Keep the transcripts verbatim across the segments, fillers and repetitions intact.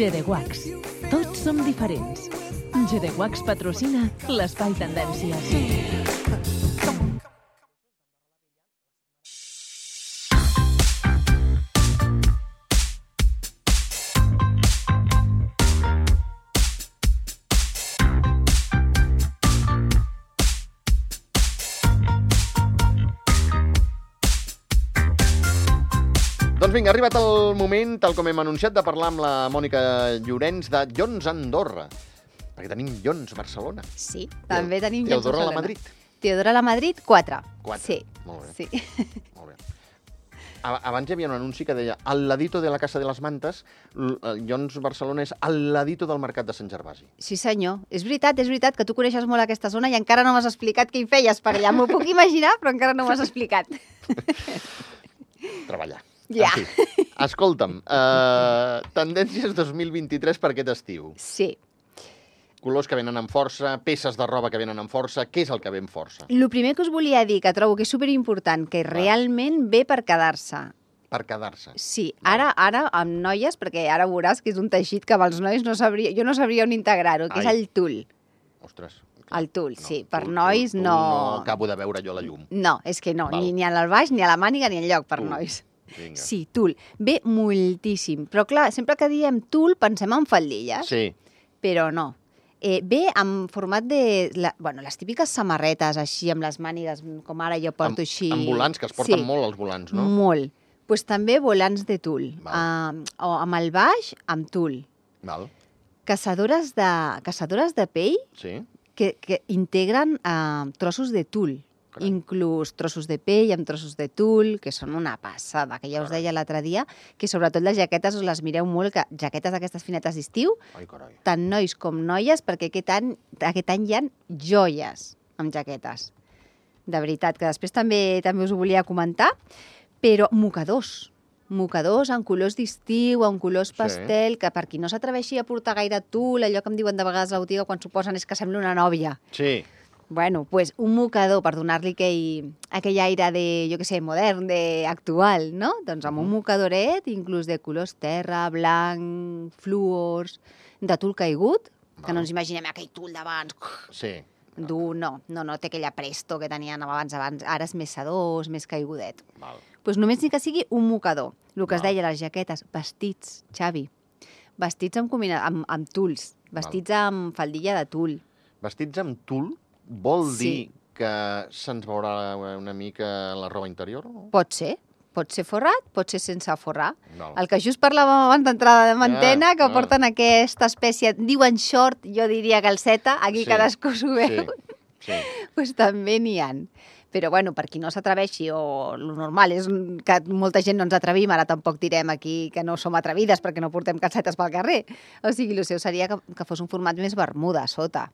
G de Wax. Tots som diferents. G de Wax patrocina l'Espai Tendències. Doncs vinga, ha arribat el moment, tal com hem anunciat, de parlar amb la Mònica Llorenç de Llons Andorra. Perquè tenim Llons Barcelona. Sí, també tenim Llons Teodora Barcelona. la Madrid. Teodora la Madrid, quatre. Quatre. Sí. Molt bé. Sí. Molt bé. Abans hi havia un anunci que deia al ladito de la Casa de les Mantes, Llons Barcelona és al ladito del Mercat de Sant Gervasi. Sí, senyor. És veritat, és veritat que tu coneixes molt aquesta zona i encara no m'has explicat què hi feies per allà. M'ho puc imaginar, però encara no m'has explicat. Treballar. Ja. En fi, escolta'm, uh, tendències dos mil vint-i-tres per aquest estiu. Sí. Colors que venen amb força, peces de roba que venen amb força, què és el que ve amb força? El primer que us volia dir, que trobo que és superimportant, que realment ve per quedar-se. Per quedar-se. Sí, ara ara amb noies, perquè ara veuràs que és un teixit que amb els nois no sabria, jo no sabria on integrar-ho, que Ai. és el tul. Ostres. El tul, No, sí. Per tul, nois tul, tul, no... No acabo de veure jo la llum. No, és que no, Val. ni, ni al baix, ni a la màniga, ni enlloc per Tul. nois. Vinga. Sí, tul. Ve moltíssim. Però clar, sempre que diem tul pensem en faldilles, Sí. però no. Eh, ve en format de... La, bueno, les típiques samarretes així, amb les mànigues, com ara jo porto Amb- així. Amb volants, que es porten Sí, molt els volants, no? molt. Doncs pues també volants de tul. Val. Uh, o amb el baix, amb tul. Val. Caçadores de, caçadores de pell Sí. que, que integren uh, trossos de tul. Carai. Inclús trossos de pell amb trossos de tul, que són una passada, que ja us Carai. deia l'altre dia, que sobretot les jaquetes us les mireu molt, que jaquetes d'aquestes finetes d'estiu, Ai, carai. tant nois com noies, perquè aquest any, aquest any hi ha joies amb jaquetes. De veritat, que després també també us ho volia comentar, però mocadors. Mocadors en colors d'estiu, en colors Sí. pastel, que per qui no s'atreveixi a portar gaire tul, allò que em diuen de vegades a la botiga quan s'ho posen és que sembla una nòvia. Sí. Bueno, pues un mocador per donar-li aquell, aquell aire de, jo què sé, modern, de actual, no? Doncs amb un mocadoret, inclús de colors terra, blanc, fluors, de tul caigut, que Val. no ens imaginem aquell tul d'abans, Sí. dur, no, no, no té aquella presto que tenien abans, abans, ara és més sedós, més caigudet. Val. Doncs pues només ni que sigui un mocador, el que es Val. deia les jaquetes, vestits, Xavi, vestits amb, combina... amb, amb tuls, vestits amb faldilla de tul. Vestits amb tul vol Sí. dir que se'ns veurà una mica la roba interior? No? Pot ser, pot ser forrat, pot ser sense forrar. Val. El que just parlàvem abans d'entrada de antena, Ah, que ah. porten aquesta espècie, diuen short, jo diria calceta, aquí Sí, cadascú s'ho veu, Sí, sí. pues també n'hi ha. Però bueno, per qui no s'atreveixi, o el normal és que molta gent no ens atrevim, ara tampoc direm aquí que no som atrevides perquè no portem calcetes pel carrer. O sigui, el seu seria que, que fos un format més bermuda a sota.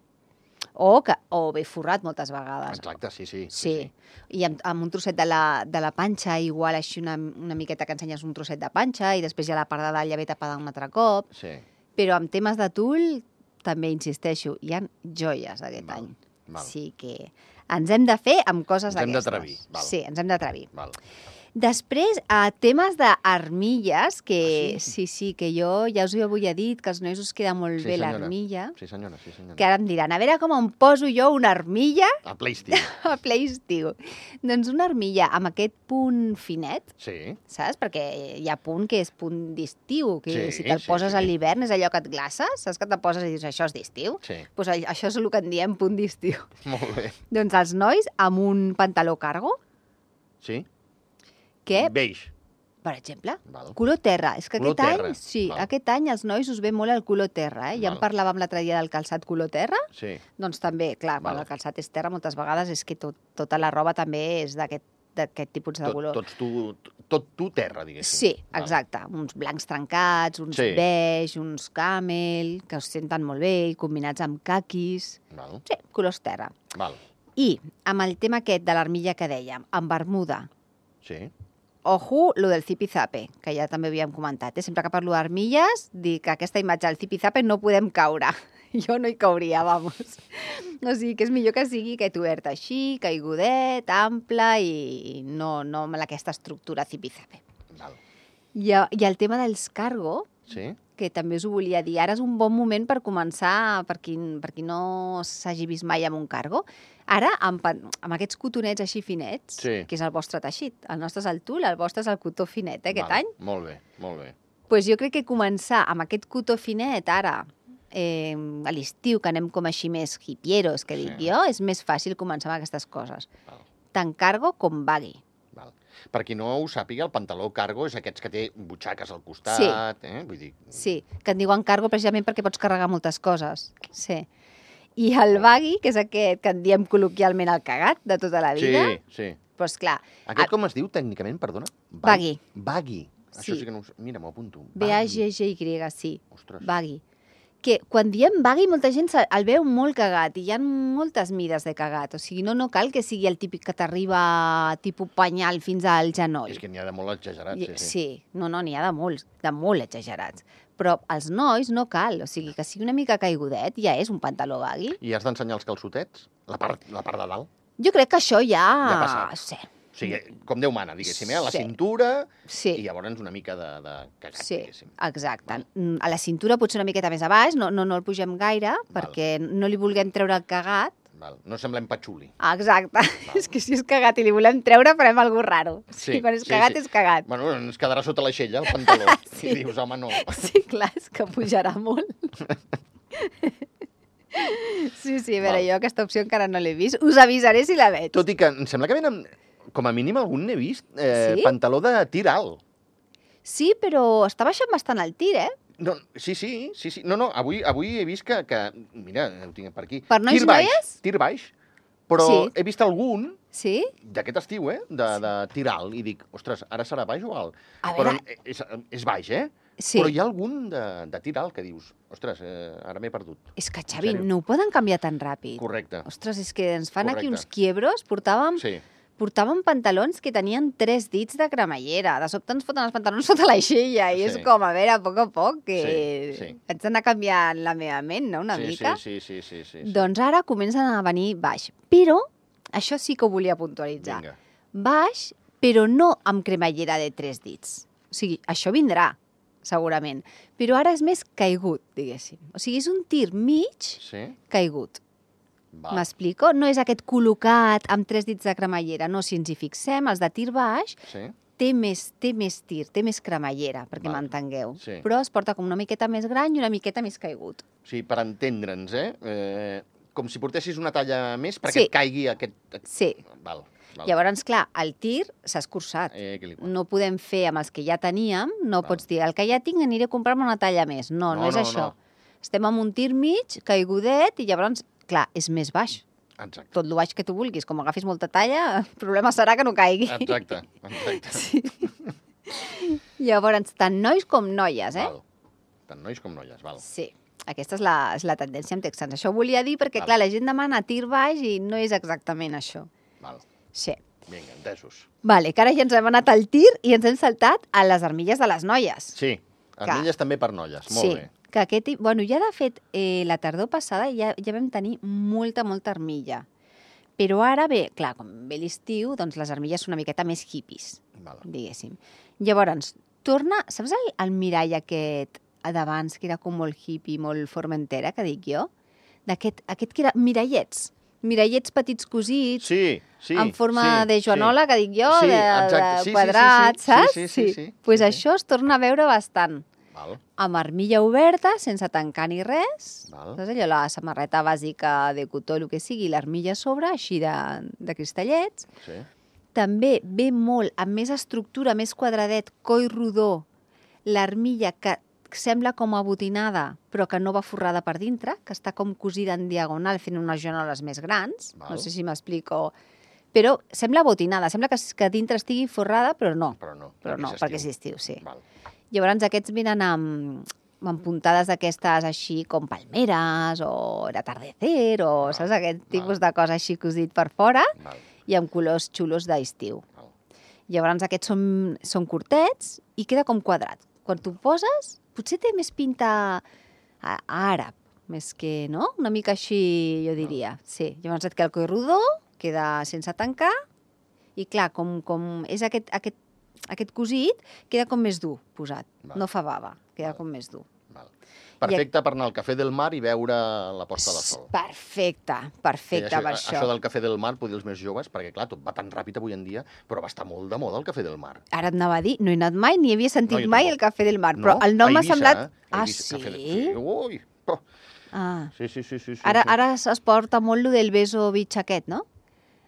O, que, o bé forrat moltes vegades. Exacte, sí, sí. Sí, i amb, amb un trosset de la, de la panxa, igual així una, una miqueta que ensenyes un trosset de panxa i després ja la part de dalt ja ve tapada un altre cop. Sí. Però amb temes de tul, també insisteixo, hi ha joies aquest Val, any. val. Sí que ens hem de fer amb coses Ens hem d'aquestes. d'atrevir, val. Sí, ens hem d'atrevir. Val. Després, a temes d'armilles, que Ah, sí? sí, sí, que jo ja us ho havia dit, que als nois us queda molt Sí, bé senyora. l'armilla, Sí, senyora, sí, senyora. que ara em diran, a veure com em poso jo una armilla A ple estiu. a ple estiu. Doncs una armilla amb aquest punt finet, Sí. saps? Perquè hi ha punt que és punt d'estiu, que Sí, si te'l sí, poses sí. a l'hivern és allò que et glaces, saps que te poses i dius això és d'estiu? Sí. Doncs això és el que en diem punt d'estiu. Molt bé. Doncs els nois amb un pantaló cargo, Sí? que, Beix. per exemple, Val. color terra. És que Color aquest terra, any, sí, val. aquest any als nois us ve molt el color terra, eh? Ja en Val. parlàvem l'altre dia del calçat color terra, Sí. doncs també, clar, quan Val. el calçat és terra moltes vegades és que tot, tota la roba també és d'aquest d'aquest tipus de Tot, color. tots tu, tot tu terra, diguéssim. Sí, Val. exacte. Uns blancs trencats, uns Sí. beix, uns camel, que us senten molt bé, i combinats amb caquis. Val. Sí, colors terra. Val. I amb el tema aquest de l'armilla que dèiem, amb bermuda, Sí. ojo, lo del zipizape, que ja també havíem comentat. Eh? Sempre que parlo d'armilles, dic que aquesta imatge del zipizape no podem caure. Jo no hi cauria, vamos. O sigui, que és millor que sigui aquest obert així, caigudet, ample i no, no amb aquesta estructura zipizape. Val. I, I el tema dels cargo, Sí? que també us ho volia dir. Ara és un bon moment per començar, per qui, per qui no s'hagi vist mai amb un cargo. Ara, amb, amb aquests cotonets així finets, Sí. que és el vostre teixit. El nostre és el tul, el vostre és el cotó finet, eh, aquest Val, any. Molt bé, molt bé. Pues jo crec que començar amb aquest cotó finet ara, eh, a l'estiu, que anem com així més hipieros, que dic Sí. jo, és més fàcil començar amb aquestes coses. Val. Tant cargo com baggy. Val. Per qui no ho sàpiga, el pantaló cargo és aquests que té butxaques al costat, eh? Vull dir... Sí, que en diuen cargo precisament perquè pots carregar moltes coses. Sí. I el baggy, que és aquest que en diem col·loquialment el cagat de tota la vida, Sí, sí. doncs clar, Aquest com es diu tècnicament, perdona? Baggy. Baggy. Això Sí. sí que no ho sé. Mira, m'ho apunto. B A G G Y, sí, Ostres. baggy. Que quan diem baggy, molta gent se- el veu molt cagat i hi ha moltes mides de cagat. O sigui, no, no cal que sigui el típic que t'arriba tipus penyal fins al genoll. És que n'hi ha de molt exagerats, I- sí, sí. Sí, no, no, n'hi ha de molts, de molt exagerats. Però als nois no cal, o sigui, que sigui una mica caigudet ja és un pantaló baggy. I has d'ensenyar els calçotets? La part, la part de dalt? Jo crec que això ja... Ja ha passat. Sí, O sigui, com Déu mana, diguéssim, eh? A la Sí. cintura sí. i llavors una mica de, de cagat, Sí, diguéssim. exacte. Mm, A la cintura potser una miqueta més a baix, no, no, no el pugem gaire, perquè no li vulguem treure el cagat. Val. No semblem patxuli. Ah, exacte. És que si és cagat i li volem treure, farem alguna cosa raro. Sí, Sí, quan és sí, cagat, sí. és cagat. Bueno, ens quedarà sota l'aixella, el pantaló. Sí. I dius, home, no. Sí, clar, és que pujarà molt. Sí, sí, a veure, Val. jo aquesta opció encara no l'he vist. Us avisaré si la veig. Tot i que em sembla que venen, com a mínim algun n'he vist, eh, Sí? pantaló de tir alt. Sí, però està baixant bastant el tir, eh? No, sí, sí, sí, sí. No, no, avui, avui he vist que, que... Mira, ho tinc per aquí. Per nois tir i baix, noies? Tir baix. Però Sí. he vist algun Sí? d'aquest estiu, eh? De, de tir alt. I dic, ostres, ara serà baix o alt? A Però veure- és, és baix, eh? Sí. Però hi ha algun de, de tir alt que dius, ostres, eh, ara m'he perdut. És que, Xavi, sèrio? no ho poden canviar tan ràpid. Correcte. Ostres, és que ens fan aquí Correcte. uns quiebros. Portàvem, Sí. portàvem pantalons que tenien tres dits de cremallera. De sobte ens foten els pantalons sota l'aixella i és Sí. com, a veure, a poc a poc, que Sí, sí. haig d'anar canviant la meva ment, no?, una sí, mica. Sí, sí, sí, sí, sí. Doncs ara comencen a venir baix. Però, això sí que ho volia puntualitzar. Vinga. Baix, però no amb cremallera de tres dits. O sigui, això vindrà, segurament. Però ara és més caigut, diguéssim. O sigui, és un tir mig Sí? caigut. Val. M'explico? No és aquest col·locat amb tres dits de cremallera. No, si ens hi fixem, els de tir baix Sí? té més, té més tir, té més cremallera, perquè Val. m'entengueu. Sí. Però es porta com una miqueta més gran i una miqueta més caigut. O sigui, per entendre'ns, eh? eh com si portessis una talla més perquè Sí. et caigui aquest... Sí. Val, val. Llavors, clar, el tir s'ha escurçat. Eh, que li... No podem fer amb els que ja teníem, no Val. pots dir, el que ja tinc aniré a comprar-me una talla més. No, no, No, és no, això. no. Estem amb un tir mig, caigudet, i llavors, clar, és més baix. Exacte. Tot el baix que tu vulguis. Com agafis molta talla, el problema serà que no caigui. Exacte, exacte. Sí. Llavors, tant nois com noies, eh? Val. Tant nois com noies, val. Sí. Aquesta és la, és la tendència amb texans. Això ho volia dir perquè, Val. clar, la gent demana tir baix i no és exactament això. Val. Sí. Vinga, entesos. Vale, que ara ja ens hem anat al tir i ens hem saltat a les armilles de les noies. Sí, armilles també per noies, molt sí, bé. que aquest... tip- Bueno, ja de fet, eh, la tardor passada ja, ja vam tenir molta, molta armilla. Però ara ve, clar, com ve l'estiu, doncs les armilles són una miqueta més hippies, Val. diguéssim. Llavors, torna... Saps el, el mirall aquest d'abans, que era com molt hippie, molt formentera, que dic jo? D'aquest aquest que era mirallets. Mirallets petits cosits, Sí, sí. en forma sí, de joanola, sí. que dic jo, Sí, de, exacte. de Sí, sí, sí, quadrats, sí. saps? Sí, sí, sí, sí. Pues Sí, sí. això es torna a veure bastant. Val, Amb armilla oberta, sense tancar ni res. Val. Saps allò, la samarreta bàsica de cotó, el que sigui, l'armilla a sobre, així de, de cristallets. sí. També ve molt, amb més estructura, més quadradet, coll rodó, l'armilla que sembla com abotinada, però que no va forrada per dintre, que està com cosida en diagonal, fent unes joanoles més grans. Val. No sé si m'explico. Però sembla abotinada, sembla que, que dintre estigui forrada, però no. Però no. Però no, és perquè és estiu. estiu, sí. Val. Llavors aquests venen amb, amb puntades d'aquestes així com palmeres o l'atardecer o Val, saps aquest val. tipus de cosa així cosit per fora Val, i amb colors xulos d'estiu. val. Llavors aquests són, són curtets i queda com quadrat. Quan tu poses, potser té més pinta a, a àrab, més que, no? Una mica així, jo diria. Sí, llavors et queda el coll rodó, queda sense tancar i clar, com, com és aquest, aquest aquest cosit queda com més dur posat. Val. No fa bava, queda Val. com més dur. Val. Perfecte per anar al Cafè del Mar i veure la posta de sol. Perfecte, perfecte això, per això. Això del Cafè del Mar, poder els més joves, perquè clar, tot va tan ràpid avui en dia, però va estar molt de moda el Cafè del Mar. Ara et anava a dir, no he anat mai, ni havia sentit No, jo mai tampoc. el Cafè del Mar, No? però el nom A m'ha Eivissa, semblat... eh? A Ah, Eivissa, sí? Cafè del... Sí, ui, oh. Ah. Sí, sí, sí, sí, sí. Ara, sí. ara es porta molt lo del beso beach aquest, no?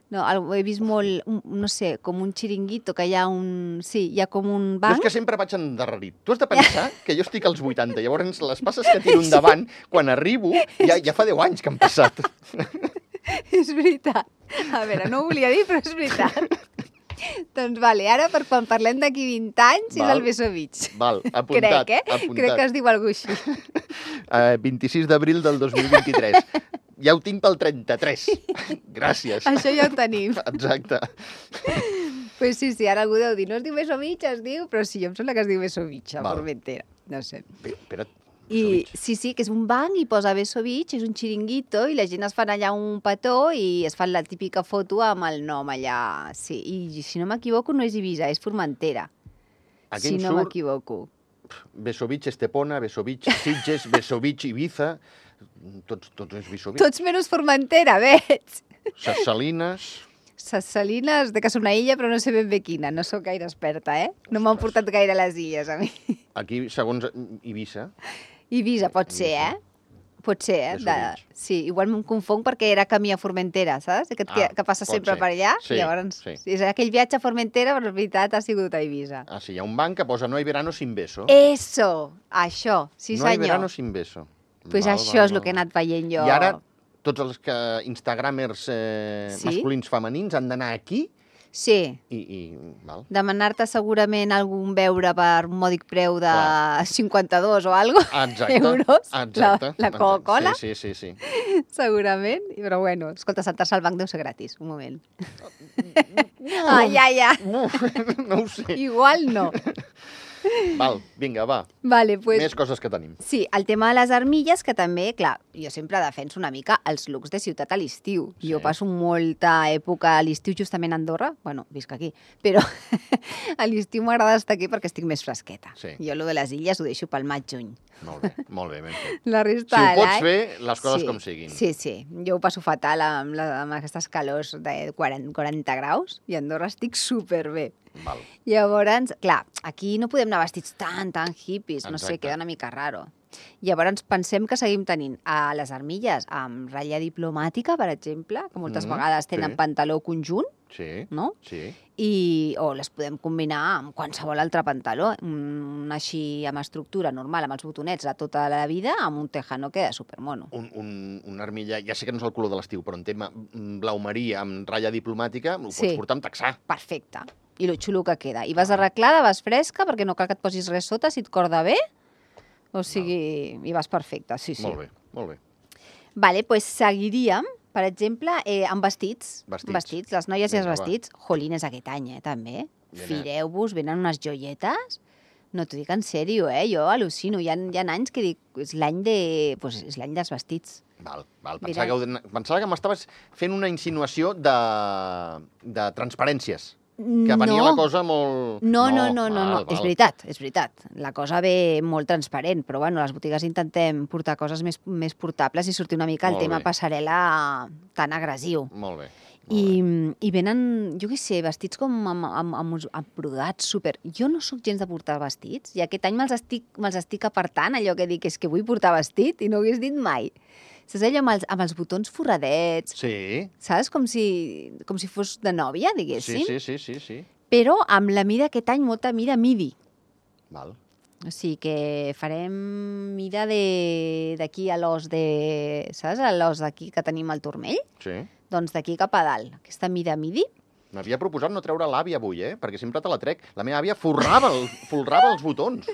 No, el- he vist molt, un- no sé, com un xiringuito, que hi ha un... Sí, hi ha com un Jo banc. és que sempre vaig endarrerit. Tu has de pensar que jo estic als vuitanta, llavors les passes que tiro endavant, quan arribo, ja, ja fa deu anys que han passat. És veritat. A veure, no ho volia dir, però és veritat. Doncs vale, ara per quan parlem d'aquí vint anys és Val. el beso beach. Val, apuntat. Crec, eh? apuntat. Crec que es diu alguna cosa així. Uh, vint-i-sis d'abril del dos mil vint-i-tres. Ja ho tinc pel trenta-tres. Gràcies. Això ja ho tenim. Exacte. Pues sí, sí, ara algú deu dir, no es diu beso beach, es diu... Però sí, em sembla que es diu beso beach, a Val. Formentera. No sé. Bé, espera't. I sí, sí, que és un banc i posa beso beach, és un xiringuito i la gent es fan allà un petó i es fan la típica foto amb el nom allà. Sí, i si no m'equivoco no és Eivissa, és Formentera. Aquí Si em no surt m'equivoco. Besovich Estepona, Besovich Sitges, Besovich Ibiza, tots, tots és Besovich. Tots menys Formentera, veig. Ses Salines... Ses Salines, de que és una illa, però no sé ben bé quina. No sóc gaire experta, eh? No m'han portat gaire a les illes, a mi. Aquí, segons Ibiza, Eivissa, pot ser, Eivissa. eh? Pot ser, eh? Beso De... Beach. Sí, igual me'n confonc perquè era camí a Formentera, saps? Que, Ah, que passa pot sempre ser. per allà. Sí, Llavors, sí. és aquell viatge a Formentera, però en veritat ha sigut a Eivissa. ah, sí, hi ha un banc que posa no hay verano sin beso. Eso, això, sí no hay senyor. verano sin beso. Pues Val, això val, és el val, que he val. anat veient jo. I ara, tots els que instagramers eh, Sí? masculins femenins han d'anar aquí Sí, i... i val. demanar-te segurament algun beure per un mòdic preu de Clar. cinquanta-dos o algo, Exacte, euros, exacte. la, la Coca-Cola, Sí, sí, sí, sí. segurament. Però bueno, escolta, sentar-se al banc deu ser gratis, un moment. Ah, ja, ja. No, no ho sé. Igual no. Val, vinga, va. Vale, pues... Més coses que tenim. Sí, el tema de les armilles, que també, clar, jo sempre defenso una mica els looks de ciutat a l'estiu. Sí. Jo passo molta època a l'estiu justament a Andorra, bueno, visc aquí, però a l'estiu m'agrada estar aquí perquè estic més fresqueta. Sí. Jo lo de les illes ho deixo pel maig-juny. Molt bé, molt bé, ben fet. La Si resta ho de pots l'any- fer, les coses sí, com siguin. Sí, sí. Jo ho passo fatal amb, la, amb aquestes calors de quaranta, quaranta graus i a Andorra estic superbé. Val. Llavors, clar, aquí no podem anar vestits tan, tan hippies, no sé, Exacte. queda una mica raro. Llavors pensem que seguim tenint a les armilles amb ratlla diplomàtica, per exemple, que moltes Mhm, vegades tenen sí. pantaló conjunt, Sí, no? sí. I, o les podem combinar amb qualsevol altre pantaló, un així amb estructura normal, amb els botonets de tota la vida, amb un tejano queda supermono. Un, un, un armilla, ja sé que no és el color de l'estiu, però en tema blau marí amb ratlla diplomàtica, ho Sí. pots portar amb texà. Perfecte. I lo xulo que queda. I vas arreglada, vas fresca, perquè no cal que et posis res sota si et corda bé. O sigui, i vas perfecta, sí, sí. Molt bé, molt bé. Vale, pues seguiríem, per exemple, eh, amb vestits. Vestits. Vestits, les noies i els Vinga, va. vestits. Jolines aquest any, eh, també. Vine. Fireu-vos, venen unes joietes. No t'ho dic en sèrio, eh? Jo al·lucino. Hi ha, hi ha anys que dic, és l'any de... Pues és l'any dels vestits. Val, val. Mira. Pensava que, heu- pensava que m'estaves fent una insinuació de, de transparències. Que venia no. la cosa molt... No, no, no, no, no, val, és val. veritat, és veritat. La cosa ve molt transparent, però bueno, a les botigues intentem portar coses més, més portables i sortir una mica el Molt tema bé. passarel·la tan agressiu. Molt bé. Molt I, bé. I venen, jo què sé, vestits com amb, amb, amb, uns- amb brodats super... Jo no sóc gens de portar vestits i aquest any me'ls estic, me'ls estic apartant, allò que dic és que vull portar vestit i no ho hagués dit mai. Saps allò amb els, amb els botons forradets, Sí, saps? Com si, com si fos de nòvia, sí, diguéssim. sí, sí, sí, sí. Però amb la mida aquest any, molta mida midi. Val. O sigui que farem mida de- d'aquí a l'os de... Saps? A l'os d'aquí que tenim al turmell? Sí. Doncs d'aquí cap a dalt. Aquesta mida midi. M'havia proposat no treure l'àvia avui, eh? Perquè sempre te la trec. La meva àvia forrava, el, folrava els botons.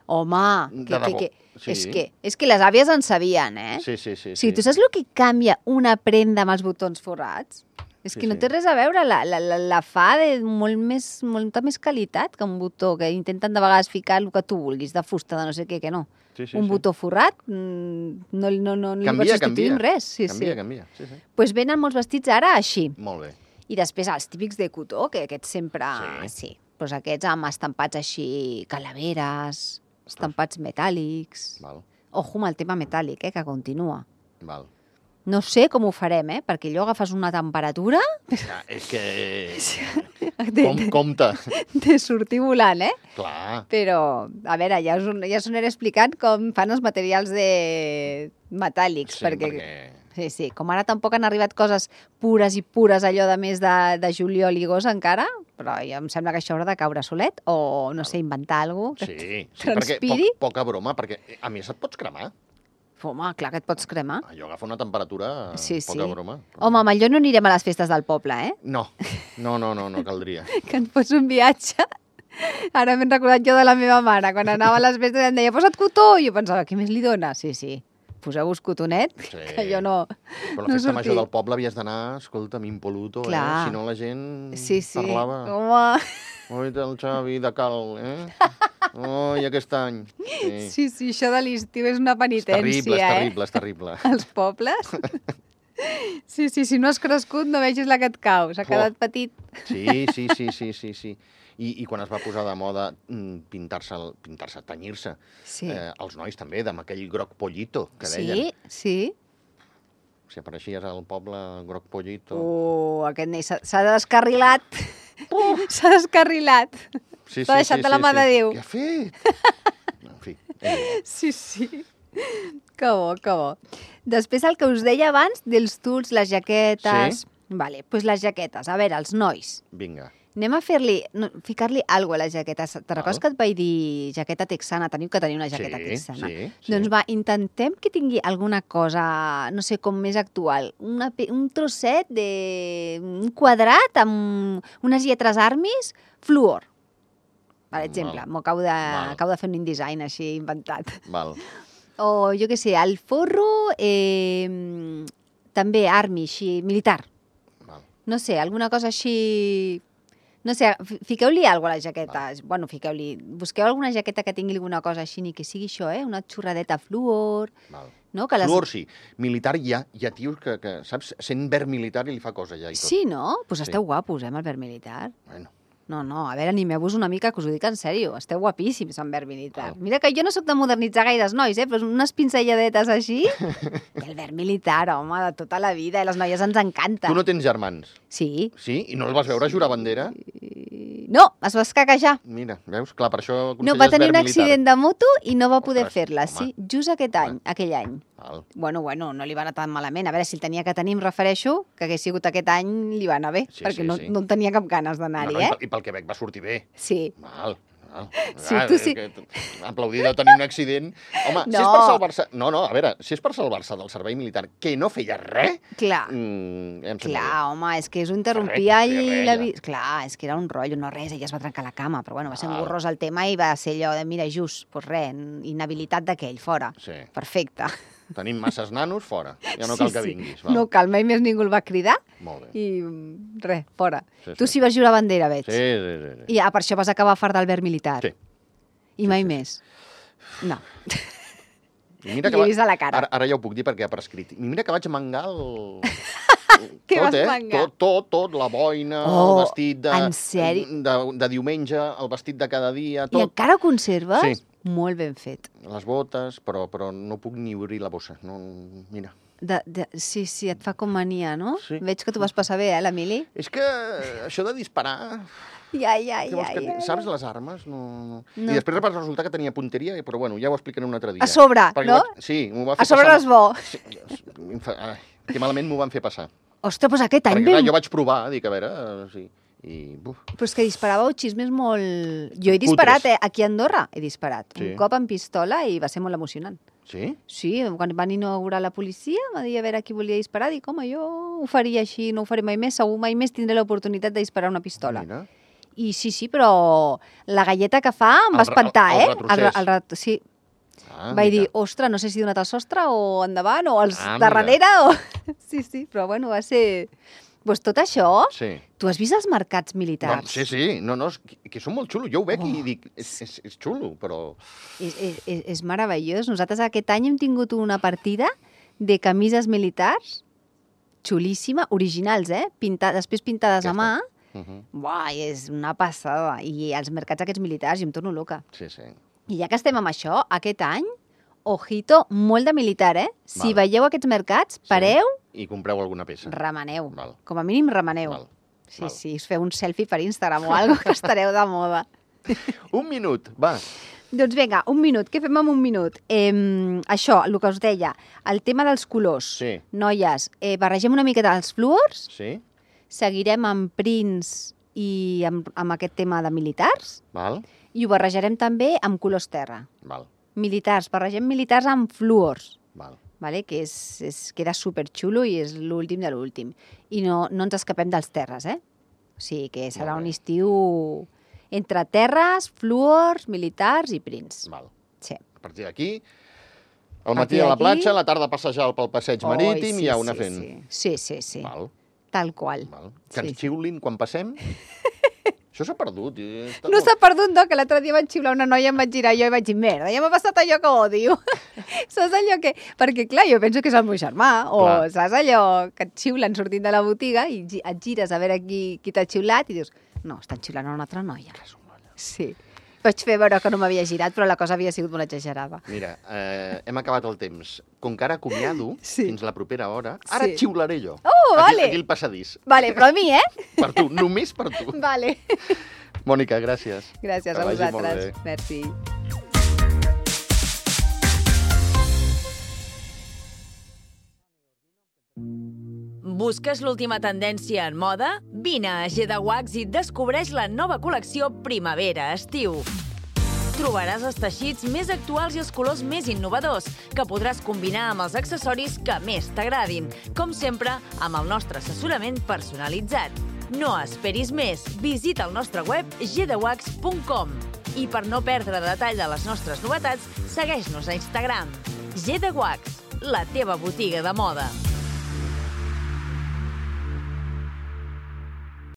Home, De que, que, debò, que, sí. és, que, és que les àvies en sabien, eh? Sí, sí, sí. O sigui, tu saps el que canvia una prenda amb els botons forrats? És Sí, que no sí. té res a veure, la, la, la, la fa de molt més, molta més qualitat que un botó, que intenten de vegades ficar el que tu vulguis, de fusta, de no sé què, que no. Sí, sí, un sí. botó forrat mm, no, no, no, no li Canvia, pots substituir canvia. amb res. Sí, canvia, sí. canvia. Sí, sí. Pues venen molts vestits ara així. Molt bé. I després els típics de cotó, que aquests sempre... Sí. sí. doncs aquests amb estampats així, calaveres, estampats metàl·lics. Val, Ojo amb el tema metàl·lic, eh, que continua. val. No sé com ho farem, eh, perquè allò agafes una temperatura Ja, és que... de, Com, de, compte. de sortir volant, eh? Clar. Però, a veure, ja us, ja us aniré explicant com fan els materials de metàl·lics, Sí, perquè... perquè... Sí, sí, com ara tampoc han arribat coses pures i pures, allò de més de, de juliol i agost encara, però ja em sembla que això haurà de caure solet, o, no sé, inventar alguna cosa Sí, que sí perquè transpiri. poc, poca broma, perquè a més et pots cremar. Home, clar que et pots cremar. Allò agafa una temperatura, Sí, sí. poca broma. Home, amb allò no anirem a les festes del poble, eh? No, no, no, no, no caldria. Que et fots un viatge. Ara m'he recordat jo de la meva mare, quan anava a les festes i em deia, posa't cotó, i jo pensava, què més li dona? Sí, sí, poseu-vos cotonet, Sí. que jo no, Però la no festa sortia. major del poble havies d'anar, escolta'm, impoluto, eh? Clar. Si no la gent Sí, sí, parlava. home, Oi, el Xavi de Cal, eh? Oi, aquest any. Sí. sí, sí, això de l'estiu és una És penitència, terrible, és eh? terrible, és terrible. Els pobles. Sí, sí, si no has crescut no vegis la que et cau, s'ha Uah. quedat petit. Sí, sí, sí, sí, sí, sí. I, I quan es va posar de moda mm, pintar-se, el- pintar-se, tenyir-se, Sí, eh, els nois també, amb aquell groc pollito que sí, deien. sí. Si apareixies al poble groc pollito... Uh, aquest nen s'ha s'ha descarrilat. S'ha descarrilat. sí, s'ha deixat de la mà de Déu. Què ha fet? En fi, eh, Sí, sí. Que bo, que bo. Després el que us deia abans dels tuls, les jaquetes... Sí. Vale, doncs pues les jaquetes. A veure, els nois. vinga. Anem a fer-li, no, ficar-li alguna cosa a les jaquetes. Te recordes Val. que et vaig dir jaqueta texana? Teniu que tenir una jaqueta Sí, texana. sí, sí. Doncs va, intentem que tingui alguna cosa, no sé, com més actual. Una, pe- un trosset de... un quadrat amb unes lletres armis, fluor. Per exemple, Val. m'ho acabo de, Val. acabo de fer un InDesign així inventat. Val. O jo què sé, el forro, eh, també armi, així, militar. Val. No sé, alguna cosa així... No sé, fi- fiqueu-li alguna cosa a les jaquetes. Bueno, fiqueu-li... Busqueu alguna jaqueta que tingui alguna cosa així, ni que sigui això, eh? Una xorradeta fluor, Val. no? Que les... Fluor sí. Militar hi ha, hi ha tios que, que, saps, sent verd militar i li fa cosa ja i tot. Sí, no? Doncs pues Sí. esteu guapos, eh, amb el verd militar. Bueno, No, no, a veure, animeu-vos una mica, que us ho dic en sèrio. Esteu guapíssims amb verd militar. Val. Mira que jo no sóc de modernitzar gaires nois, eh? Però unes pincelladetes així... El verd militar, home, de tota la vida. I les noies ens encanta. tu no tens germans, Sí. sí? I no el vas veure jurar bandera? No, es va escaquejar. Mira, veus? Clar, per això No, va aconselles tenir verd un militar. accident de moto i no va poder Ostres, fer-la. home. Sí, just aquest any, aquell any. Val. Bueno, bueno, no li va anar tan malament. A veure, si el tenia que tenir, em refereixo, que hagués sigut aquest any, li va anar bé, Sí, perquè sí, no, sí. no en tenia cap ganes No, d'anar-hi, no, i, eh? pel, I pel Quebec va sortir bé. Sí. Val. Val. Sí, Ah, tu sí. que- Aplaudir de tenir un accident. Home, si és No. per salvar-se... No, no, a veure, si és per salvar-se del servei militar, que no feia res... Clar, Mm, ja em sembla clar, home, és que us ho interrompia Res, i res, la ja. vida... Clar, és que era un rotllo, no res, ella es va trencar la cama, però bueno, va ser Val. engorrós el tema i va ser allò de, mira, just, doncs res, inhabilitat d'aquell, fora. bé. Sí. Perfecte. Tenim masses nanos, fora. Ja no cal que vinguis. Val. No cal, mai més ningú el va cridar Molt bé. i mm, res, fora. Sí, Tu sí. sí vas jurar bandera, veig. Sí, sí, sí. sí. I ah, per això vas acabar fart del verd militar. Sí. I mai més. No. I mira Li he vist a la cara. Ara, ara ja ho puc dir perquè ha prescrit. I mira que vaig mangar el... Què tot, vas eh? mangar? Tot, tot, tot, la boina, Oh, el vestit de, en sèrio? de, de diumenge, el vestit de cada dia, I tot. encara ho conserves? Sí. Molt ben fet. Les botes, però, però no puc ni obrir la bossa. No, mira. De, de, sí, sí, et fa com mania, no? Sí. Veig que tu vas passar bé, eh, l'Emili? És que això de disparar... Ai, ai, Què vols ai, que... ai. Saps les armes? No, no. No. I després va resultar que tenia punteria, però bueno, ja ho explicaré un altre dia. A sobre, Perquè no? Vaig... Sí, m'ho va fer A sobre passar... és bo. Sí, em fa- ai, que malament m'ho van fer passar. Ostres, doncs aquest any Perquè clar, vam... jo vaig provar, dic, a veure, eh, sí, i... Buf, Però és que disparàveu xismes molt... Jo he disparat, Cutres. eh? Aquí a Andorra he disparat. Sí. Un cop amb pistola i va ser molt emocionant. sí? Sí, quan van inaugurar la policia, va dir a veure qui volia disparar, dic, home, jo ho faria així, no ho faré mai més, segur mai més tindré l'oportunitat de disparar una pistola. Mira. I sí, sí, però la galleta que fa em El va re- espantar, el- el eh? retrocés. el ret- sí, Ah, vaig dir, mira. ostres, no sé si donat al sostre o endavant o als Ah, de mira. darrere o... Sí, sí, però bueno, va ser... Pues tot això, Sí. tu has vist els mercats No, militars? sí, sí, no, no, és que, que són molt xulos. Jo ho veig Oh. i dic, és, és, és xulo, però... És, és, és, és meravellós. Nosaltres aquest any hem tingut una partida de camises militars xulíssima, originals, eh? Pinta, després pintades a mà, Aquesta. Uh -huh. Buah, és una passada. I els mercats aquests militars, jo em torno loca. Sí, sí. I ja que estem amb això, aquest any, ojito, molt de militar, eh? Si Val. veieu aquests mercats, pareu, I compreu alguna peça. remeneu. Val. Com a mínim, remeneu. Val. Sí, Val. sí, us feu un selfie per Instagram o alguna que estareu de moda. Un minut, va. Doncs vinga, un minut. Què fem amb un minut? Eh, això, el que us deia, el tema dels colors. Sí. Noies, eh, barregem una miqueta els fluors, Sí, seguirem amb prints i amb, amb aquest tema de militars, val, i ho barrejarem també amb colors terra. val, Militars, barregem militars amb fluors, val. vale? Que és, és, queda superxulo i és l'últim de l'últim. I no, no ens escapem dels terres, eh? O sigui que serà Molt bé. un estiu entre terres, fluors, militars i prints. Val. Sí. A partir d'aquí, al A matí partir a la d'aquí- platja, a la tarda a passejar pel passeig Oi, marítim sí, i a una sí, fent. Sí, sí, sí. sí. Val, Tal qual. val. Que Sí, ens sí. xiulin quan passem? Això s'ha perdut. i està No molt- s'ha perdut, no, que l'altre dia vaig xiular una noia, em vaig girar jo i vaig dir, merda, ja m'ha passat allò que odio. Saps allò que... Perquè, clar, jo penso que és el meu germà, o Clar. saps allò que et xiulen sortint de la botiga i gi- et gires a veure qui, qui t'ha xiulat i dius, no, estan xiulant a una altra noia. Sí. Vaig fer veure que no m'havia girat, però la cosa havia sigut molt exagerada. Mira, eh, hem acabat el temps. Com que ara acomiado, Sí. fins la propera hora, ara Sí. et xiularé jo. Oh, aquí, vale. Aquí al passadís. Vale, però a mi, eh? Per tu, només per tu. Vale. Mònica, gràcies. Gràcies Que a vagi molt vosaltres. bé. Merci. Busques l'última tendència en moda? Vine a G de Wax i descobreix la nova col·lecció Primavera-Estiu. Trobaràs els teixits més actuals i els colors més innovadors, que podràs combinar amb els accessoris que més t'agradin, com sempre amb el nostre assessorament personalitzat. No esperis més, visita el nostre web g de wax punt com i per no perdre detall de les nostres novetats, segueix-nos a Instagram. G de Wax, la teva botiga de moda.